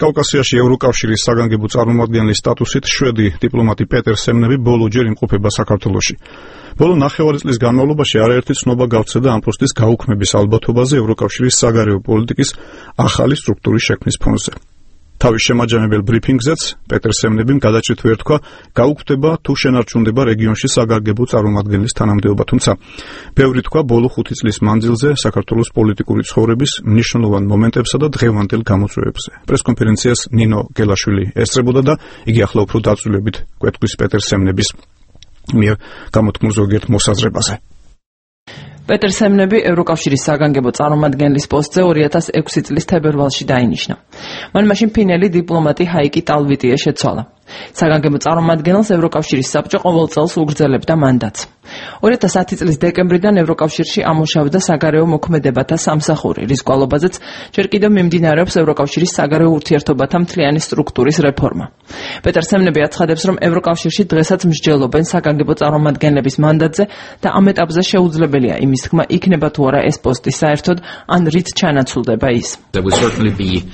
კავკასიაში ევროკავშირის საგანგებო წარმომადგენლის სტატუსით შვედი დიპლომატი პეტერ სემნები ბოლოჯერ იმყოფება საქართველოში. ბოლო ნახევარი წლის განმავლობაში არაერთი ცნობა გავრცელდა ამ პოსტის გაუქმების ალბათობაზე ევროკავშირის საგარეო პოლიტიკის ახალი სტრუქტურის შექმნის ფონზე. თავის შემაჯამებელ ბრიფინგზეც პეტერ სემნებიმ გადაჭრით ვერ თქვა, გაუქმდება თუ შენარჩუნდება რეგიონში საგანგებო წარმომადგენლის თანამდებობა, თუმცა ბევრი თქვა ბოლო 5 წლის მანძილზე საქართველოს პოლიტიკური ცხოვრების მნიშვნელოვან მომენტებსა და დღევანდელ გამოწვევებზე. პრესკონფერენციას ნინო გელაშვილი ესწრებოდა და იგი ახლა უფრო დაწვრილებით გვეთქვის პეტერ სემნების მიერ გამოთქმულ ზოგიერთ მოსაზრებაზე. პეტერ სემნები ევროკავშირის საგანგებო წარმომადგენლის პოსტზე 2006 წლის თებერვალში დაინიშნა. მან მაშინ ფინელი დიპლომატი ჰაიკი ტალვიტიე შეცვალა. საგანგებო წარმომადგენელს ევროკავშირის საბჭო ყოველ წელს უგრძელებდა მანდატს. 2010 წლის დეკემბრიდან ევროკავშირში ამუშავდა საგარეო მოქმედებათა სამსახური, რის კვალობაზეც ჯერ კიდევ მიმდინარეობს ევროკავშირის საგარეო ურთიერთობათა მთლიანი სტრუქტურის რეფორმა. პეტერ სემნები აცხადებს, რომ ევროკავშირში დღესაც მსჯელობენ საგანგებო წარმომადგენლების მანდატზე და ამ ეტაპზე შეუძლებელია იმის თქმა, იქნება თუ არა ეს პოსტი საერთოდ, ან რით ჩანაცვლდება ის.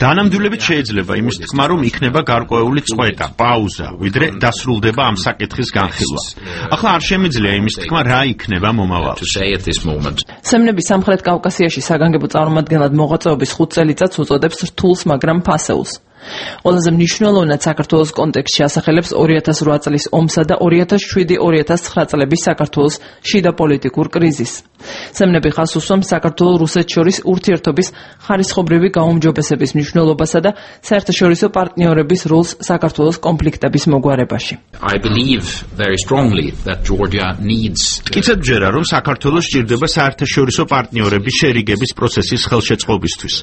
დანამდვილებით შეიძლება იმის თქმა, რომ იქნება გარკვეული წყვეტა, პაუზა, ვიდრე დასრულდება ამ საკითხის განხილვა. ახლა არ შემიძლია იმის თქმა, რა იქნება მომავალში. სემნები სამხრეთ კავკასიაში საგანგებო წარმომადგენლად მოღვაწეობის 5 წელიწადს უწოდებს რთულს, მაგრამ ფასეულს. ყველაზე მნიშვნელოვნად საქართველოს კონტექსტში ასახელებს 2008 წლის ომსა და 2007-2009 წლების საქართველოს შიდა პოლიტიკურ კრიზისს. სემნები ხაზს უსვამს საქართველოს რუსეთს შორის ურთიერთობის ხარისხობრივი გაუმჯობესების მნიშვნელობასა და საერთაშორისო პარტნიორების როლს საქართველოს კონფლიქტების მოგვარებაში. მტკიცედ ვჯერა, რომ საქართველოს სჭირდება საერთაშორისო პარტნიორების შერიგების პროცესის ხელშეწყობისთვის.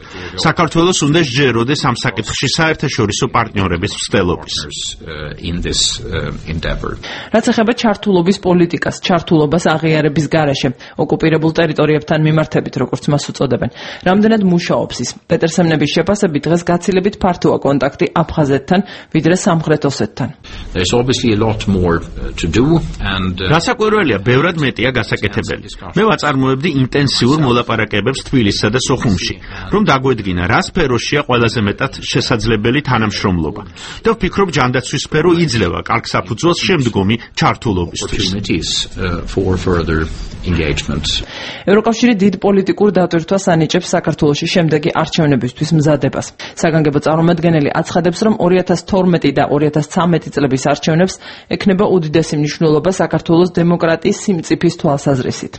საქართველოს უნდა სჯეროდეს ამ საკითხში საერთაშორისო პარტნიორების მცდელობის. რაც ეხება ჩართულობის პოლიტიკას, ჩართულობას აღიარების გარეშე, ოკუპირებულ ტერიტორიებთან მიმართებით, როგორც მას უწოდებენ. რამდენად მუშაობს ის? პეტერ სემნების შეფასებით დღეს გაცილებით ფართოა კონტაქტი აფხაზეთთან, ვიდრე სამხრეთ ოსეთთან. გასაკვირველია, ბევრად მეტია გასაკეთებელი. მე ვაწარმოებდი ინტენსიურ მოლაპარაკებებს თბილისსა და სოხუმში, რომ დაგვედგინა, რა სფეროშია ყველაზე მეტად შესაძლებელი თანამშრომლობა. და ვფიქრობ, ჯანდაცვის სფერო იძლევა კარგ საფუძველს შემდგომი ჩართულობისთვის. ევროკავშირი დიდ პოლიტიკურ დატვირთვას ანიჭებს საქართველოში შემდეგი არჩევნებისთვის მზადებას. საგანგებო წარმომადგენელი აცხადებს, რომ 2012 და 2013 წლების არჩევნებს ექნება უდიდესი მნიშვნელობა საქართველოს დემოკრატიის სიმწიფის თვალსაზრისით.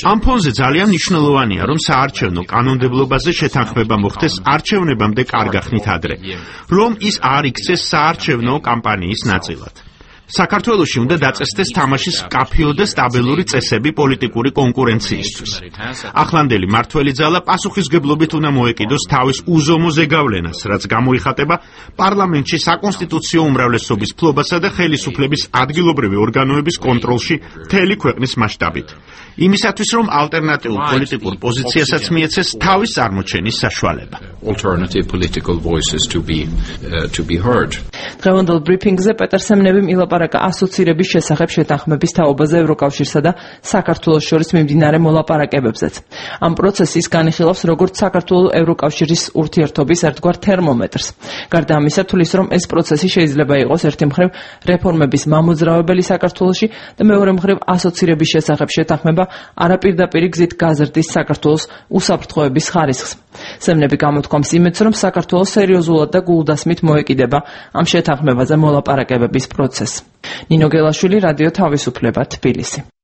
ამ ფონზე ძალიან მნიშვნელოვანია, რომ საარჩევნო კანონმდებლობაზე შეთანხმება მოხდეს არჩევნებამდე კარგახნით ადრე, რომ ის არ იქცეს საარჩევნო კამპანიის ნაწილად. საქართველოში უნდა დაწესდეს თამაშის მკაფიო და სტაბილური წესები პოლიტიკური კონკურენციისთვის. ახლანდელი მმართველი ძალა პასუხისმგებლობით უნდა მოეკიდოს თავის უზომო ზეგავლენას, რაც გამოიხატება პარლამენტში საკონსტიტუციო უმრავლესობის ფლობასა და ხელისუფლების ადგილობრივი ორგანოების კონტროლში მთელი ქვეყნის მასშტაბით. იმისათვის, რომ ალტერნატიულ პოლიტიკურ პოზიციასაც მიეცეს თავის წარმოჩენის საშუალება. დღევანდელ ბრიფინგზე პეტერ სემნებიმ ილაპარაკა ასოცირების შესახებ შეთანხმების თაობაზე ევროკავშირსა და საქართველოს შორის მიმდინარე მოლაპარაკებებზეც. ამ პროცესის განიხილავს როგორც საქართველოს ევროკავშირის ურთიერთობის ერთგვარ თერმომეტრს. გარდა ამისა, თulis რომ ეს პროცესი შეიძლება იყოს ერთი მხრივ რეფორმების მამოძრავებელი საქართველოში და მეორე მხრივ ასოცირების შესახებ შეთანხმება არაპირდაპირი გზით გაზრდის საქართველოს უსაფრთხოების ხარისხს. სემნები გამოთქვამს იმედს, რომ საქართველოს სერიოზულად და გულდასმით მოეკიდება ამ შეთანხმებაზე მოლაპარაკებების პროცესს. ნინო გელაშვილი, რადიო თავისუფლება, თბილისი.